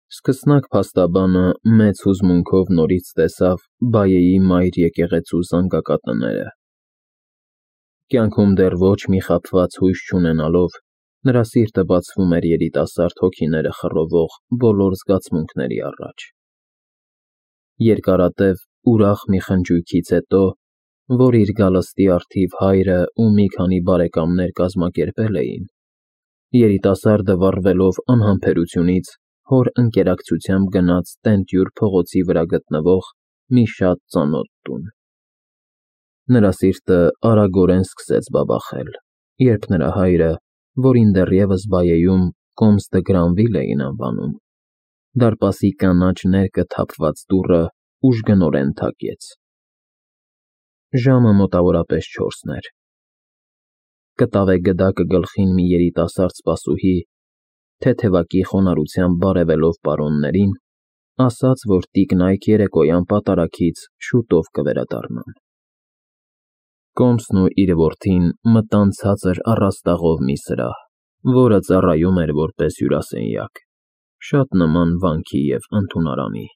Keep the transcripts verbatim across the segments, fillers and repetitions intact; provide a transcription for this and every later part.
Սկսնակ փաստաբանը մեծ հուզմունքով նորից տեսավ բայեի մայր եկեղեցու զանգակատները։ Կյանքում դեռ ոչ մի խաբված հույս չունենալով, նրա սիրտը բացվում էր երիտասարդ հոգիները խռովող բոլոր զգացմունքների առաջ։ Երկարատև, ուրախ մի խնջույքից հետո, որ իր գալստի առթիվ հայրը ու մի քանի բարեկամներ կազմակերպել էին, երիտասարդը վառվելով անհամբերությունից հոր ընկերակցությամբ գնաց տենտյուր փողոցի վրա գտնվող մի շատ ծանոթ տուն։ Նրա սիրտը արագորեն սկսեց բաբախել, երբ նրա հայրը, որին դեռևս բայեում Կոմս դը Գրանվիլ էին անվանում, դարպասի կանաչ ներկը թափված դուռը ուժգնորեն թակեց։ Ժամը մոտավորապես չորսն էր։ Կտավե գդակը գլխին մի երիտասարդ սպասուհի, թեթևակի խոնարհությամբ բարևելով պարոններին, ասաց, որ տիկնայք երեկոյան պատարագից շուտով կվերադառնան։ Կոմսն ու իր որդին մտան ցածր առաստաղով մի սրահ, որը ծառայում էր որպես հյուրասենյակ, շատ նման վանքի և ընդունարանի։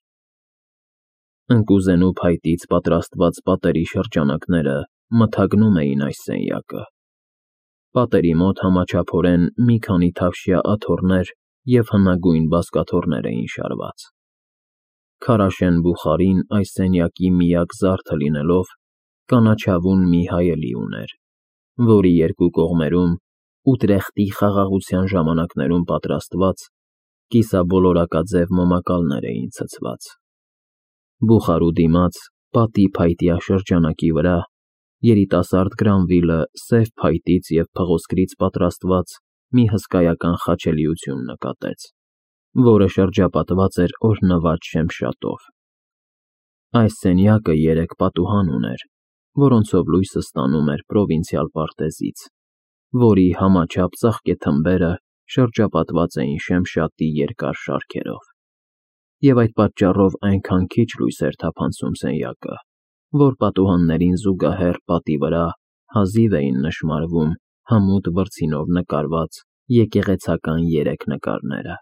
Ընկուզենու փայտից պատրաստված պատերի շրջանակները մթագնում էին այս սենյակը։ Պատերի մոտ համաչափորեն մի քանի թավշյա աթոռներ և հնագույն բազկաթոռներ էին շարված։ Քարաշեն բուխարին այս սենյակի միակ զարդը լինելով, կանաչավուն մի հայելի ուներ, որի երկու կողմերում Ուտրեխտի խաղաղության ժամանակներում պատրաստված կիսաբոլորակաձև մոմակալներ էին ցցված։ Բուխարու դիմաց, պատի փայտյա շրջանակի վրա, երիտասարդ Գրանվիլը սև փայտից և փղոսկրից պատրաստված մի հսկայական խաչելիություն նկատեց, որը շրջապատված էր օրհնված շեմշատով։ Այս սենյակը երեք պատուհան ուներ, որոնցով լույսը ստանում էր պրովինցիալ պարտեզից, որի համաչափ ծաղկե թմբերը շրջապատված էին շեմշատի երկար շարքերով, և այդ պատճառով այնքան քիչ լույս էր թափանցում սենյակը, որ պատուհաններին զուգահեռ պատի վրա հազիվ էին նշմարվում հմուտ վրձինով նկարված եկեղեցական երեք նկարները,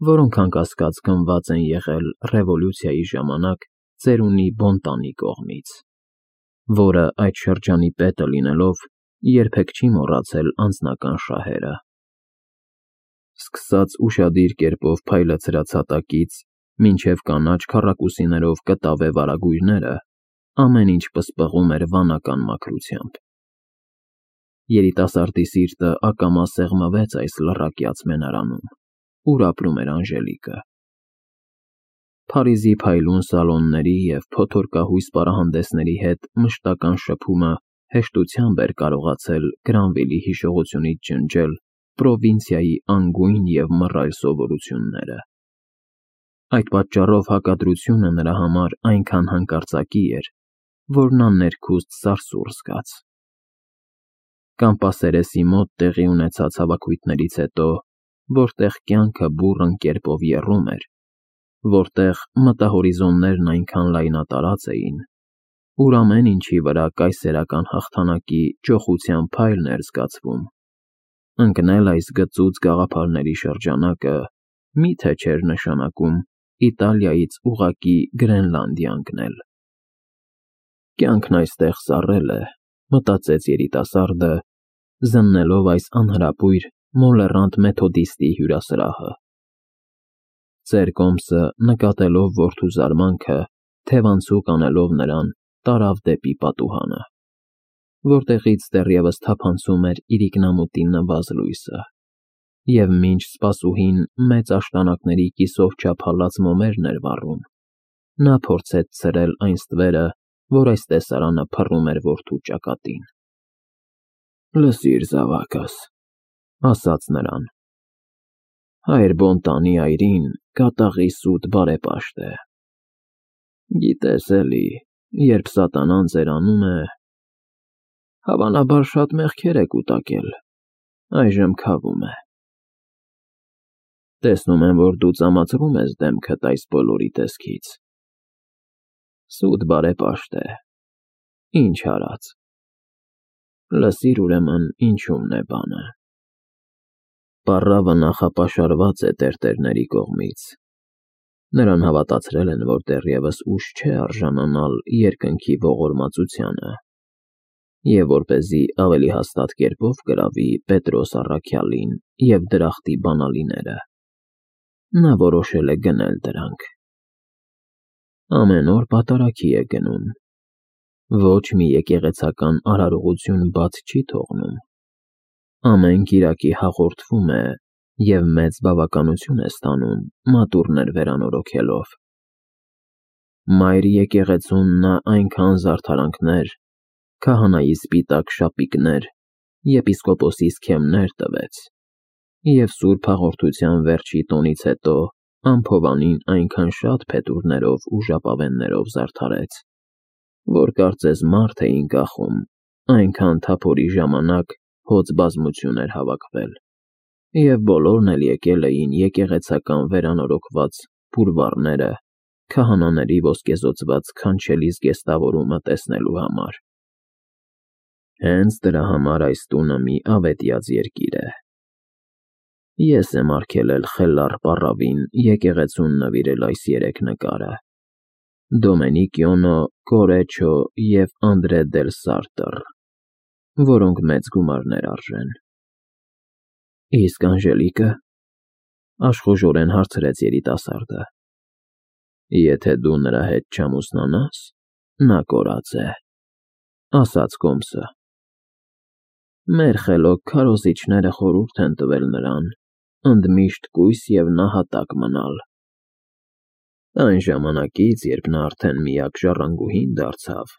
որոնք անկասկած գնված են եղել ռևոլյուցիայի ժամանակ ծերունի Բոնտանի կողմից, որը այդ շրջանի պետը լինելով երբեք չի մոռացել անձնական շահերը։ Սկսած ուշադիր կերպով փայլեցրած հատակից մինչև կանաչ քառակուսիներով կտավե վարագույրները, ամեն ինչ պսպղում էր վանական մաքրությամբ։ Երիտասարդի սիրտը ակամա սեղմվեց այս լռակյաց մենարանում, ուր ապրում էր Անժելիկը։ Փարիզի փայլուն սալոնների և փոթորկահույս պարահանդեսների հետ մշտական շփումը հեշտությամբ էր կարողացել Գրանվիլի հիշողությունից ջնջել պրովինցիայի անգույն և մռայլ սովորությունները։ Այդ պատճառով հակադրությունը նրա համար այնքան հանկարծակի էր, որ նա ներքուստ սարսուռ զգաց։ Կամպասերեսի մոտ տեղի ունեցած հավաքույթներից հետո, որտեղ կյանքը բուռն կերպով եռում էր, որտեղ մտահորիզոններն այնքան լայնատարած էին, ուր ամեն ինչի վրա կայսերական հաղթանակի ճոխության փայլն էր զգացվում, ընկնել այս գծուծ գաղափարների շրջանակը մի՞թե չէր նշանակում Իտալիայից ուղղակի Գրենլանդիա ընկնել։ Կյանքն այստեղ սառել է, մտածեց երիտասարդը, զննելով այս անհրապույր մոլեռանդ մեթոդիստի հյուրասրահը։ Ծեր Կոմսը, նկատելով որդու զարմանքը, թևանցուկ անելով նրան, տարավ դեպի պատուհանը, որտեղից դեռևս թափանցում էր իրիկնամուտի նվազ լույսը, և մինչ սպասուհին մեծ աշտանակների կիսով չափ հալած մոմերն էր վառում, նա փորձեց ցրել այն ստվերը, որ այս տեսարանը փռում էր որդու ճակատին։ «Լսիր, զավակս,» ասաց նրան, «հայր Բոնտանի այրին կատաղի սուտ բարեպաշտ է։ Գիտես էլի, երբ սատանան ձերանում է, հավանաբար շատ մեղքեր է կուտակել, այժմ քավում է։ Տեսնում եմ, որ դու ծամացրում ես դեմքդ այս բոլորի տեսքից։ Սուտ բարեպաշտ է, ինչ արած։ Լսիր ուրեմն ինչումն է բանը։ Պառավը նախապաշարված է տերտերների կողմից, Նրան հավատացրել են, որ դեռևս ուշ չէ արժանանալ երկնքի ողորմածությանը, և որպեսզի ավելի հաստատ կերպով գրավի Պետրոս առաքյալին և դրախտի բանալիները, նա որոշել է գնել դրանք։ Ամեն օր պատարագի է գնում, ոչ մի եկեղեցական արարողություն բաց չի թողնում, ամեն կիրակի հաղորդվում է և մեծ բավականություն է ստանում մատուռներ վերանորոգելով։ Մայր եկեղեցուն նա այնքան զարդարանքներ, քահանայի սպիտակ շապիկներ, եպիսկոպոսի սքեմներ տվեց, և սուրբ հաղորդության վերջի տոնից հետո ամփովանին այնքան շատ փետուրներով ու ժապավեններով զարդարեց, որ կարծես մարդ էին կախում, այնքան թափորի ժամանակ հոծ բազմություն էր հավաքվել, և բոլորն էլ եկել էին եկեղեցական վերանորոգված բուրվառները քահանաների ոսկեզօծված քանչելի զգեստավորումը տեսնելու համար։ Հենց դրա համար այս տունը մի ավետյաց երկիր է։ Ես եմ արգելել խելառ պառավին եկեղեցուն նվիրել այս երեք նկարը՝ Դոմենիկիոնո, Կորեչո և Անդրե դել Սարտր, որոնք մեծ գումարներ արժեն։ Իսկ Անժելիկը, աշխուժորեն հարցրեց երիտասարդը, եթե դու նրա հետ չամուսնանաս, նա կորած է, ասաց Կոմսը։ Մեր խելոք քարոզիչները խորհուրդ են տվել նրան ընդմիշտ կույս և նահատակ մնալ։ Այն ժամանակից, երբ նա արդեն միակ ժառանգուհին դարձավ,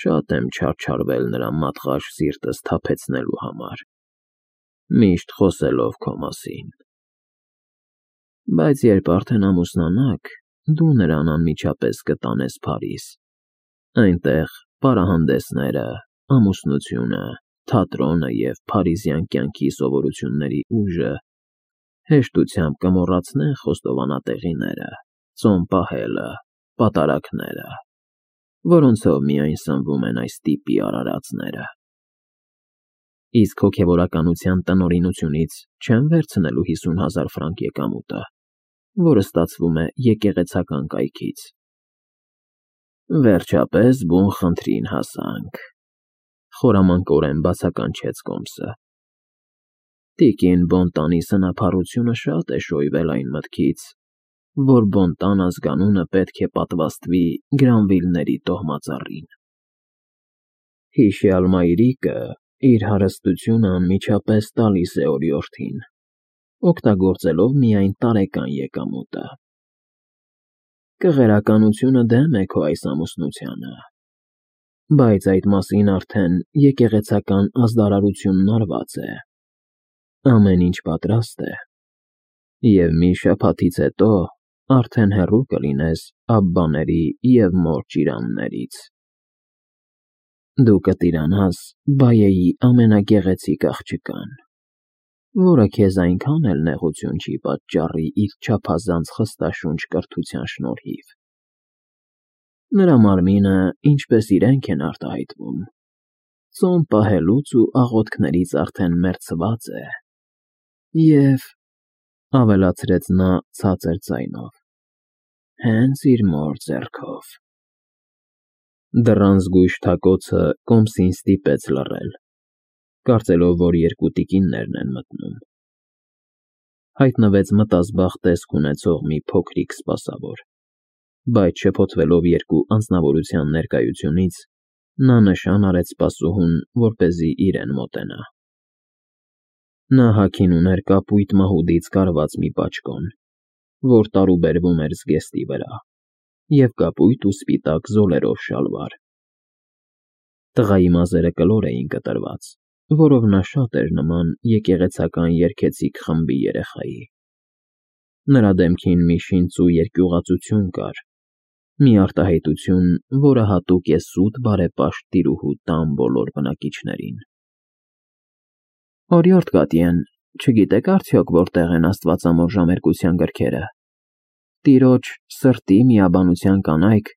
շատ եմ չարչարվել նրա մատղաշ սիրտը սթափեցնելու համար, միշտ խոսելով քո մասին։ Բայց երբ արդեն ամուսնանաք, դու նրան անմիջապես կտանես Փարիզ, այնտեղ պարահանդեսները, ամուսնությունը, թատրոնը և փարիզյան կյանքի սովորությունների ուժը հեշտությամբ կմոռացնեն խոստովանատեղիները, ծոմ պահելը, պատարագները, որոնցով միայն սնվում են այս տիպի արարածները։ Իսկ հոգևորականության տնօրինությունից չեմ վերցնելու հիսուն հազար ֆրանկ եկամուտը, որը ստացվում է եկեղեցական կայքից։ Վերջապես բուն խնդրին հասանք, խորամանկորեն բացականչեց Կոմսը։ Տիկին Բոնտանի սնափառությունը շատ է շոյվել այն մտքից, որ Բոնտան ազգանունը պետք է պատվաստվի Գրանվիլների տոհմածառին։ Հիշյալ մայրիկը իր հարստությունը անմիջապես տալիս է օրիորդին, օգտագործելով միայն տարեկան եկամուտը։ Կղերականությունը դեմ է քո այս ամուսնությանը, բայց այդ մասին արդեն եկեղեցական ազդարարությունն արված է, ամեն ինչ պատրաստ է, և մի շաբաթից հետո արդեն հեռու կլինես Աբբաների և մոր ճիրաններից։ Դու կտիրանաս Բայեի ամենագեղեցիկ աղջկան, որը քեզ այնքան էլ նեղություն չի պատճառի իր չափազանց խստաշունչ կրթության շնորհիվ։ Նրա մարմինը, ինչպես իրենք են արտահայտվում, ծոմ պահելուց ու աղոթքներից արդեն մեռցված է, և, ավելացրեց նա ցածր ձայնով, հենց իր մոր ձեռքով։ Դռան զգույշ թակոցը Կոմսին ստիպեց լռել, կարծելով, որ երկու տիկիններն են մտնում։ Հայտնվեց մտազբաղ տեսք ունեցող մի փոքրիկ սպասավոր, բայց շփոթվելով երկու անձնավորության ներկայությունից, նա նշան արեց սպասուհուն, որպեսզի իրեն մոտենա։ Նա հագին ուներ կապույտ մահուդից կարված մի պաճկոն, որ տարուբերվում էր զգեստի վրա, և կապույտ ու սպիտակ զոլերով շալվար։ Տղայի մազերը կլոր էին կտրված, որով նա շատ էր նման եկեղեցական երգեցիկ խմբի երեխայի։ Նրա դեմքին մի շինծու երկյուղածություն կար, մի արտահայտություն, որը հատուկ է սուտ բարեպաշտ տիրուհու տան բոլոր բնակիչներին։ Օրիորդ Գատիեն, չգիտեք արդյոք որտեղ են աստվածամոր ժամերկության գրքերը։ Տիրոջ սրտի միաբանության կանայք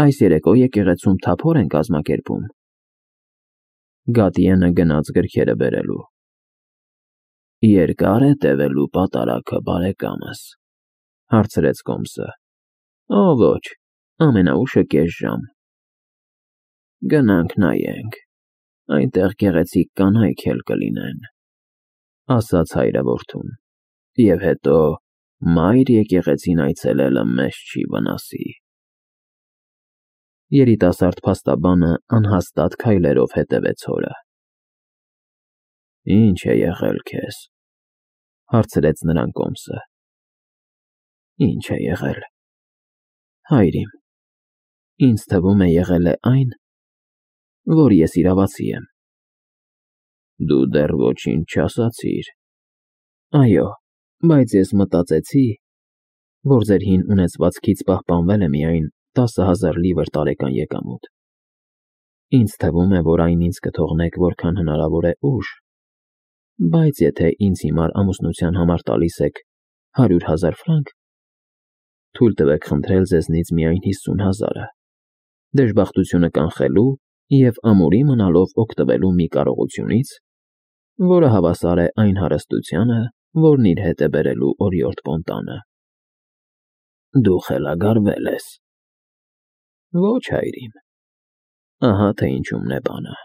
այս երեկո եկեղեցում թափոր են կազմակերպում։ Գատիենը գնաց գրքերը բերելու։ Երկար է տևելու պատարագը, բարեկամս, Հարցրեց Կոմսը։ Օ, ոչ, ամենաուշը կես ժամ։ Գնանք նայենք, այնտեղ գեղեցիկ կանայք էլ կլինեն, ասաց հայրը որդուն, և հետո մայր եկեղեցին այցելելը մեզ չի վնասի։ Երիտասարդ փաստաբանը անհաստատ քայլերով հետևեց հորը։ Ինչ է եղել քեզ, հարցրեց նրան Կոմսը։ Ինչ է եղել, հայր իմ, ինձ թվում է եղել է այն, որ ես իրավացի եմ։ Դու դեռ ոչինչ չասացիր։ Այո, բայց ես մտածեցի, որ ձեր հին ունեցվածքից պահպանվել է միայն տասը հազար լիվր տարեկան եկամուտ։ Ինձ թվում է, որ այն ինձ կթողնեք որքան հնարավոր է ուշ, բայց եթե ինձ հիմար ամուսնության համար տալիս եք հարյուր հազար ֆրանկ, թույլ տվեք խնդրել ձեզնից միայն հիսուն հազարը, դժբախտությունը կանխելու և ամուրի մնալով օգտվելու մի կարողությունից, որը հավասար է այն հարստությանը, որն իր հետ է բերելու օրիորդ Պոնտանը։ Դու խելագարվել ես։ Ոչ, հայր իմ, ահա թե ինչումն է բանը։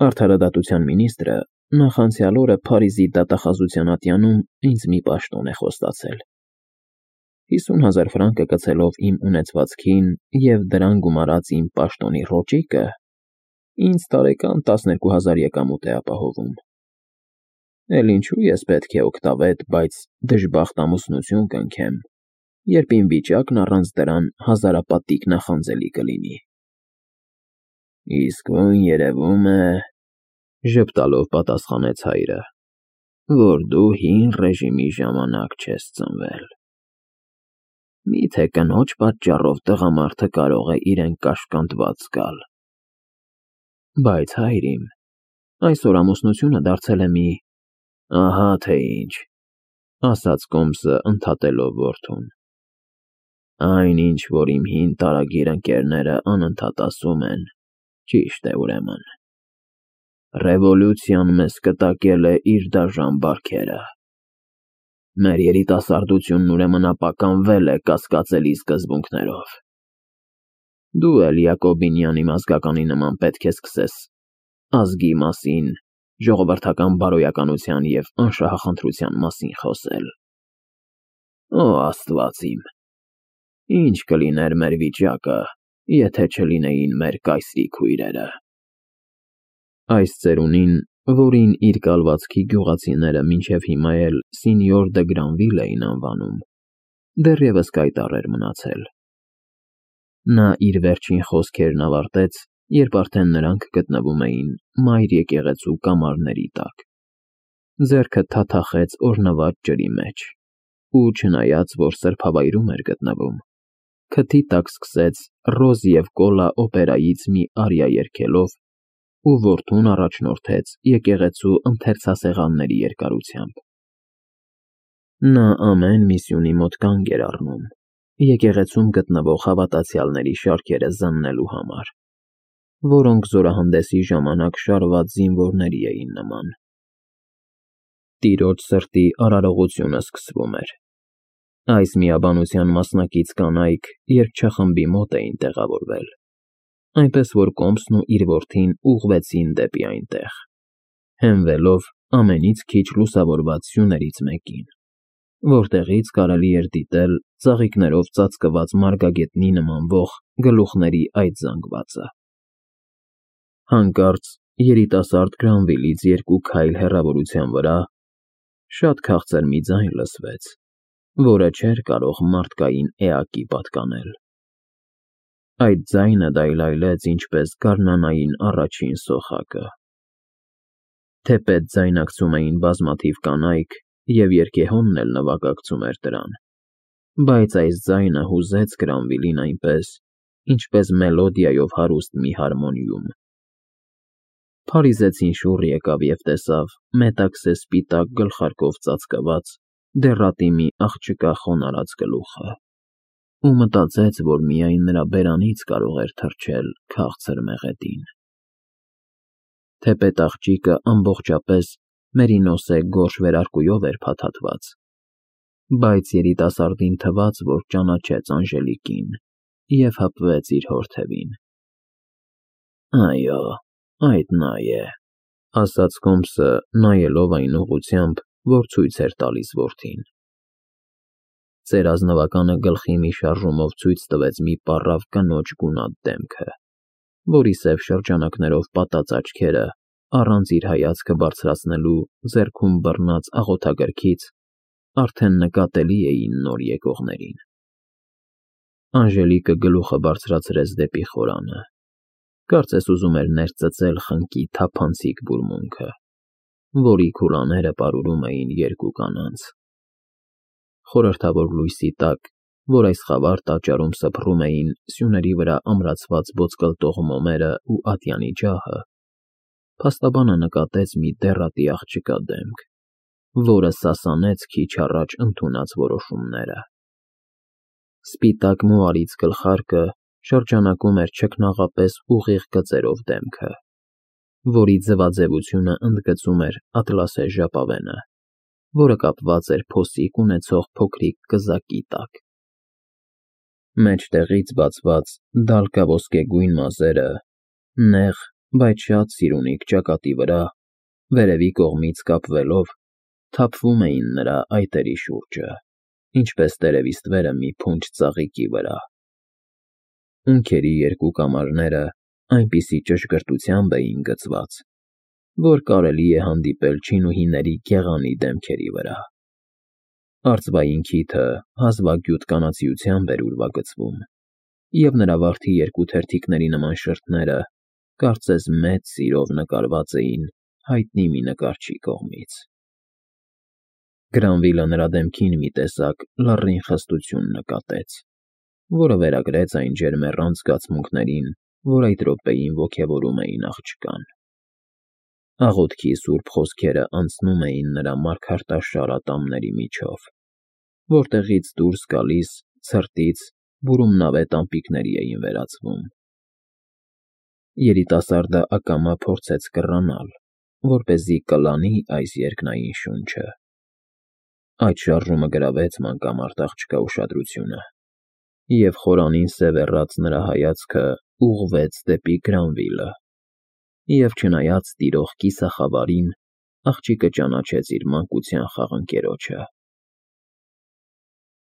Արդարադատության մինիստրը նախանցյալ օրը Փարիզի դատախազության ատյանում ինձ մի պաշտոն է խոստացել։ Հիսուն հազար ֆրանկը կցելով իմ ունեցվածքին և դրան գումարած իմ պաշտոնի ռոճիկը, ինձ տարեկան տասներկու հազար եկամուտ է ապահովում։ Էլ ինչու ես պետք է օգտավետ, բայց դժբախտ ամուսնություն կնքեմ, երբ իմ վիճակն առանց դրան հազարապատիկ նախանձելի կլինի։ Իսկույն երևում է, ժպտալով պատասխանեց հայրը, որ դու հին ռեժիմի ժամանակ չես ծնվել։ Մի՞թե կնոջ պատճառով տղամարդը կարող է իրեն կաշկանդված զգալ։ Բայց հայր իմ, այսօր ամուսնությունը դարձել է մի… Ահա թե ինչ, ասաց Կոմսը ընդհատելով որդուն։ Այն ինչ, որ իմ հին տարագիր ընկերները անընդհատ ասում են, ճիշտ է ուրեմն։ Ռևոլյուցիան մեզ կտակել է իր դաժան բարքերը։ Մեր երիտասարդությունն ուրեմն ապականվել է կասկածելի սկզբունքներով։ Դու էլ Յակոբինյան մազգականի նման պետք է սկսես ազգի մասին, ժողովրդական բարոյականության և անշահախնդրության մասին խոսել։ Օ, Աստված իմ, ինչ կլիներ մեր վիճակը, եթե չլինեին մեր կայսրի քույրերը։ Այս ծերունին, որին իր կալվածքի գյուղացիները մինչև հիմա էլ Սինյոր դը Գրանվիլ էին անվանում, դեռևս կայտառ էր մնացել։ Նա իր վերջին խոսքերն ավարտեց, երբ արդեն նրանք գտնվում էին մայր եկեղեցու կամարների տակ։ Ձեռքը թաթախեց օրհնված ջրի մեջ ու, չնայած որ սրբավայրում էր գտնվում, քթի տակ սկսեց «Ռոզ և Կոլա» օպերայից մի արիա երգելով ու որդուն առաջնորդեց եկեղեցու ընթերցասեղանների երկարությամբ։ Նա ամեն միսյունի մոտ կանգ էր առնում, եկեղեցում գտնվող հավատացյալների շարքերը զննելու համար, որոնք զորահանդեսի ժամանակ շարված զինվորների էին նման։ Տիրոջ սրտի արարողությունը սկսվում էր։ Այս միաբանության մասնակից կանայք երգչախմբի մոտ էին տեղավորվել, այնպես որ Կոմսն ու իր որդին ուղղվեցին դեպի այնտեղ, հենվելով ամենից քիչ լուսավորված սյուներից մեկին, որտեղից կարելի էր դիտել ծաղիկներով ծածկված մարգագետնի նմանվող գլուխների այդ զանգվածը։ Հանկարծ երիտասարդ Գրանվիլից երկու քայլ հեռավորության վրա շատ քաղցր մի ձայն լսվեց, որը չէր կարող մարդկային էակի պատկանել։ Այդ ձայնը դայլայլեց ինչպես գարնանային առաջին սոխակը։ Թեպետ ձայնակցում էին բազմաթիվ կանայք, և երգեհոնն էլ նվագակցում էր դրան, բայց այս ձայնը հուզեց Գրանվիլին այնպես, ինչպես մելոդիայով հարուստ մի հարմոնիում։ Փարիզեցին շուռ եկավ և տեսավ մետաքսե սպիտակ գլխարկով ծածկված, դեռատի մի աղջկա խոնարհած գլուխը ու մտածեց, որ միայն նրա բերանից կարող էր թռչել քաղցր մեղեդին։ Թեպետ աղջիկը ամբողջապես մերինոսե գորշ վերարկուով էր փաթաթված, բայց երիտասարդին թվաց, որ ճանաչեց Անժելիկին և հպվեց իր հոր թևին։ «Այո, այդ նա է», ասաց Հոմսը, նայելով այն ուղղությամբ, որ ցույց էր տալիս որդին։ Ծեր ազնվականը գլխի մի շարժումով ցույց տվեց մի պառավ կնոջ գունատ դեմքը, որի սև շրջանակներով պատած աչքերը, առանց իր հայացքը բարձրացնելու ձեռքում բռնած աղոթագրքից, արդեն նկատելի էին նոր եկողներին։ Անժելիկը գլուխը բարձրացրեց դեպի խորանը, կարծես ուզում էր ներծծել խնկի թափանցիկ բուրմունքը, որի քուլաները պարուրում էին երկու կանանց։ Խորհրդավոր լույսի տակ, որ այս խավար տաճարում սփռում էին սյուների վրա ամրացված ոսկլտող մոմերը ու ատյանի ջահը, փաստաբանը նկատեց մի դեռատի աղջկա դեմք, որը սասանեց քիչ առաջ ընդունած որոշումները։ Սպիտակ մուարից գլխարկը շրջանակում էր չքնաղապես ուղիղ գծերով դեմքը, որի ձվաձևությունը ընդգծում էր ատլասե ժապավենը, որը կապված էր փոսիկ ունեցող փոքրիկ կզակի տակ։ Մեջտեղից բացված դալկաոսկեգույն մազերը, նեղ, բայց շատ սիրունիկ ճակատի վրա, վերևի կողմից կապվելով, թափվում էին նրա այտերի շուրջը, ինչպես տերևի ստվերը մի փունջ ծաղիկի վրա։ Ունքերի երկու կամարները այնպիսի ճշգրտությամբ էին գծված, որ կարելի է հանդիպել չինուհիների գեղանի դեմքերի վրա։ Արծվային քիթը հազվագյուտ կանացիությամբ էր ուրվագծվում, և նրա վարդի երկու թերթիկների նման շրթները կարծես մեծ սիրով նկարված էին հայտնի մի նկարչի կողմից։ Գրանվիլը նրա դեմքին մի տեսակ լռին խստություն նկատեց, որը վերագրեց այն ջերմեռանդ զգացմունքներին, որ այդ րոպեին ոգևորում էին աղջկան։ Աղոթքի սուրբ խոսքերը անցնում էին նրա մարգարտաշար ատամների միջով, որտեղից դուրս գալիս, ցրտից, բուրումնավե տամպիկների էին վերածվում։ Երիտասարդը ակամա փորձեց կռանալ, որպեսզի կլանի այս երկնային շունչը։ Այդ շարժումը գրավեց մանկամարտ աղջկա ուշադրությունը, և խորանին սևեռած նրա հայացքը ուղղվեց դեպի Գրանվիլը, և չնայած տիրող կիսախավարին, աղջիկը ճանաչեց իր մանկության խաղընկերոջը։